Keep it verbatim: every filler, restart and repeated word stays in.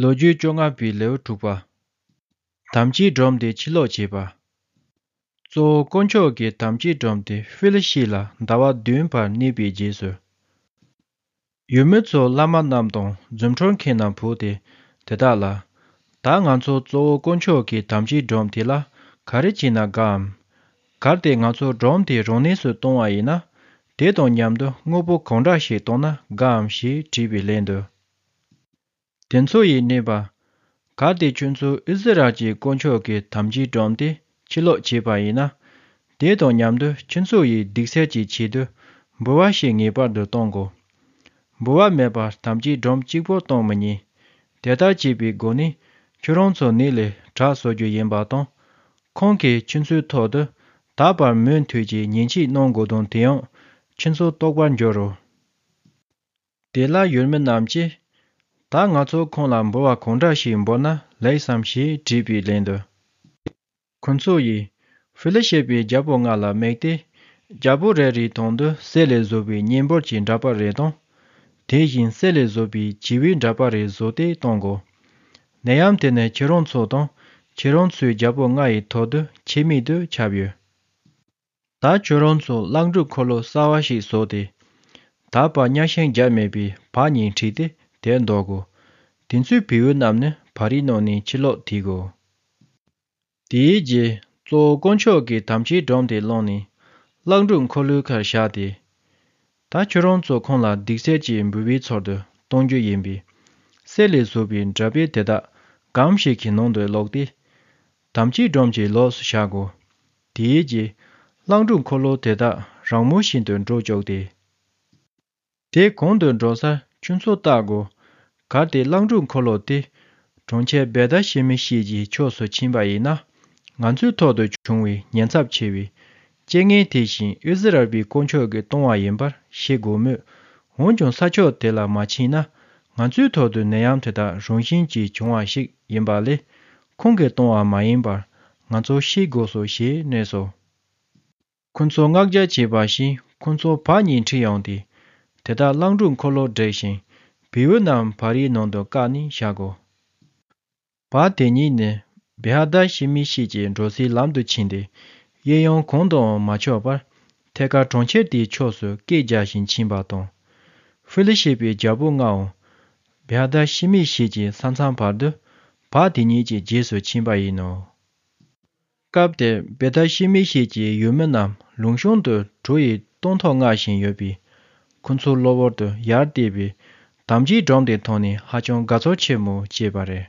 ལོ་རྒྱུས་བཅོ་ལྔ་པའི་ལེའུ་དྲུག་པ། དམ་བཅའི་སྒྲོམ་དེ་ཕྱིར་ལོག་བྱེད་པ། གཙོ་བོ་དཀོན་མཆོག་གི་དམ་བཅའི་སྒྲོམ་དེ་ཧྥི་ལི་ཤི་ལ་ཟླ་བ་བདུན་བར་གནས་པའི་རྗེས་སུ། ཡུལ་མི་ཚོ་བླ་མ་རྣམས་དང་རྫུ་འཕྲུལ་མཁན་རྣམས་བོས་ཏེ་དེ་དག་ལ། ད་ང་ཚོ་གཙོ་བོ་དཀོན་མཆོག་གི་དམ་བཅའི་སྒྲོམ་དེ་ལ་ག་རེ་བྱས་ན་དགའ་འམ། གལ་ཏེ་ང་ཚོ་སྒྲོམ་དེ་རང་གནས་སུ་གཏོང་བ་ཡིན་ན། དེ་དང་མཉམ་དུ་དངོས་པོ་གང་འདྲ་ཞིག་གཏོང་ན་དགའ་འམ་ཞེས་དྲིས་པའི་ལན་དུ། དེ་ཚོ་ཡིས་སྨྲས་པ། གལ་ཏེ་ཁྱོད་ཚོས་ཨིསི་རཱཨེལ་གྱི་དཀོན་མཆོག་གི་དམ་བཅའི་སྒྲོམ་དེ་ཕྱིར་ལོག་བྱས་པ་ཡིན་ན། དེ་དང་མཉམ་དུ་ཁྱོད་ཚོ་ཡིས་སྡིག་སེལ་གྱི་ཆེད་དུ་འབུལ་བ་ཞིག་ངེས་པར་དུ་གཏོང་དགོས། འབུལ་བ་མེད་པར་དམ་བཅའི་སྒྲོམ་གཅིག་པོ་གཏོང་མི་ཉན། དེ་ལྟར་བྱས་པའི་སྒོ་ནས་ཁྱོད་རང་ཚོ་ནད་ལས་དྲག་བཟོ་རྒྱུ་ཡིན་པ་དང་། ཁོང་གིས་ཁྱོད་ཚོའི་ཐོག་ཏུ་ད་བར་མུ་མཐུད་ཀྱི་ཉེས་ཆད་གནང་དགོས་དོན་དེ་ཡང་ཁྱོད་ཚོ་རྟོགས་པར་འགྱུར་རོ། དེ་ལ་ཡུལ་མི་རྣམས་ཀྱིས། ད་ང་ཚོ་ཁོང་ལ་འབུལ་བ་གང་འདྲ་ཞིག་འབུལ་ན་ལེགས་སམ་ཞེས་དྲིས་པའི་ལན་དུ། ཁོ་ཚོ་ཡིས་ཧྥི་ལི་ཤི་པའི་རྒྱལ་པོ་ལྔ་ལ་དམིགས་ཏེ། རྒྱལ་པོ་རེ་རེའི་དོན་དུ་གསེར་ལས་བཟོས་པའི་གཉན་འབུར་གྱི་འདྲ་པར་རེ་དང་། དེ་བཞིན་གསེར་ལས་བཟོས་པའི་བྱི་བའི་འདྲ་པར་རེ་བཟོས་ཏེ་གཏོང་དགོས། ནད་ཡམས་དེ་ནི་ཁྱེད་རང་ཚོ་དང་ཁྱེད་རང་ཚོའི་རྒྱལ་པོ་ལྔ་ཡི་ཐོག་ཏུ་ཁྱད་མེད་དུ་ཁྱབ་ཡོད། ད་ཁྱོད་རང་ཚོ་གླང་སྒྲུབ་འཁོར་ལོ་གསར་བ་ཞིག་བཟོས་ཏེ། ད་བར་གཉའ་ཤིང་བརྒྱབ་མེད་པའི་བག་གཉིས་ཁྲིད་དེ་དེར་འདོགས་དགོས། དེ་ཚོའི་བེའུ་རྣམས་ནི་བ་རའི་ནང་ནས་ཕྱིར་ལོག་དེད་དགོས། དེའི་རྗེས་གཙོ་བོ་དཀོན་མཆོག་གི་དམ་བཅའི་སྒྲོམ་དེ་བླངས་ནས་གླང་སྒྲུབ་འཁོར་ལོའི་ཁར་བཞག་སྟེ། ད་ཁྱོད་རང་ཚོ་ཁོང་ལ་སྡིག་སེལ་གྱི་འབུལ་བའི་ཚུལ་དུ་གཏོང་རྒྱུ་ཡིན་པས། གསེར་ལས་བཟོས་པའི་འདྲ་དཔེ་དེ་དག་སྒམ་ཞིག་གི་ནང་དུ་བླུགས་ཏེ། དམ་བཅའི་སྒྲོམ་གྱི་ལོགས་སུ་བཞག་དགོས། དེའི་རྗེས་གླང་སྒྲུབ་འཁོར་ལོ་དེ་དག་རང་མོས་བཞིན་དུ་འགྲོ་བཅུག་སྟེ། དེ་གང་དུ་འགྲོ་སར་ཁྱོད་ཚོ་བལྟ་དགོས། གལ་ཏེ་གླང་སྒྲུབ་འཁོར་ལོ་དེ་གྲོང་ཁྱེར་བེ་ཐ་ཤེ་མི་ཤེས་ཀྱི་ཕྱོགས་སུ་ཕྱིན་པ་ཡིན་ན། ང་ཚོའི་ཐོག་ཏུ་བྱུང་བའི་ཉེན་ཚབས་ཆེ་བའི་རྐྱེན་ངན་དེ་བཞིན་ཨིསི་རཱཨེལ་པའི་དཀོན་མཆོག་གིས་གཏོང་བ་ཡིན་པར་ཤེས་དགོས་མོད། འོན་ཀྱང་ས་ཕྱོགས་དེ་ལ་མ་ཕྱིན་ན། ང་ཚོའི་ཐོག་ཏུ་ནད་ཡམས་དེ་དག་རང་བཞིན་གྱིས་བྱུང་བ་ཞིག་ཡིན་པ་ལས། ཁོང་གིས་གཏོང་བ་མ་ཡིན་པར་ང་ཚོ་ཤེས་དགོས་སོ་ཞེས་སྨྲས་སོ། ཁོ་ཚོ་མངགས་རྒྱ་བྱས་པ་བཞིན་ཁོ་ཚོ་བག་གཉིས་ཁྲིད་ཡོང་སྟེ། དེ་དག་གླང་སྒྲུབ་འཁོར་ལོར་བསྒྲིགས་ཤིང་། བེའུ་རྣམས་བ་རའི་ནང་དུ་བཀག་ནས་བཞག་གོ། བ་དེ་ཉིད་ནི་བེ་ཧ་དཱ་ཤི་མི་ཤེས་ཀྱི་འགྲོ་སའི་ལམ་དུ་ཕྱིན་ཏེ། གཡས་གཡོན་གང་དུའང་མ་ཕྱོགས་པར། ཐད་ཀར་གྲོང་ཁྱེར་དེའི་ཕྱོགས་སུ་སྐད་རྒྱག་བཞིན་ཕྱིན་པ་དང་། ཧྥི་ལི་ཤི་པའི་རྒྱལ་པོ་ལྔའང་། བེ་ཧ་དཱ་ཤི་མི་ཤེས་ཀྱི་ས་མཚམས་བར་དུ། བ་དེ་ཉིད་ཀྱི་རྗེས་སུ་ཕྱིན་པ་ཡིན་ནོ། སྐབས་དེར་བེ་ཐ་ཤི་མི་ཤེས་ཀྱི་ཡུལ་མི་རྣམས་ལུང་གཤོང་དུ་གྲོ་ཡི་སྟོན་ཐོག་བརྔ་བཞིན་ཡོད་པས། ཁོ་ཚོ་གློ་བུར་དུ་ཡར་བལྟས་པས། དམ་བཅའི་སྒྲོམ་དེ་མཐོང་ནས་ཧ་ཅང་དགའ་ཚོར་ཆེན་མོ་སྐྱེས་པ་རེད།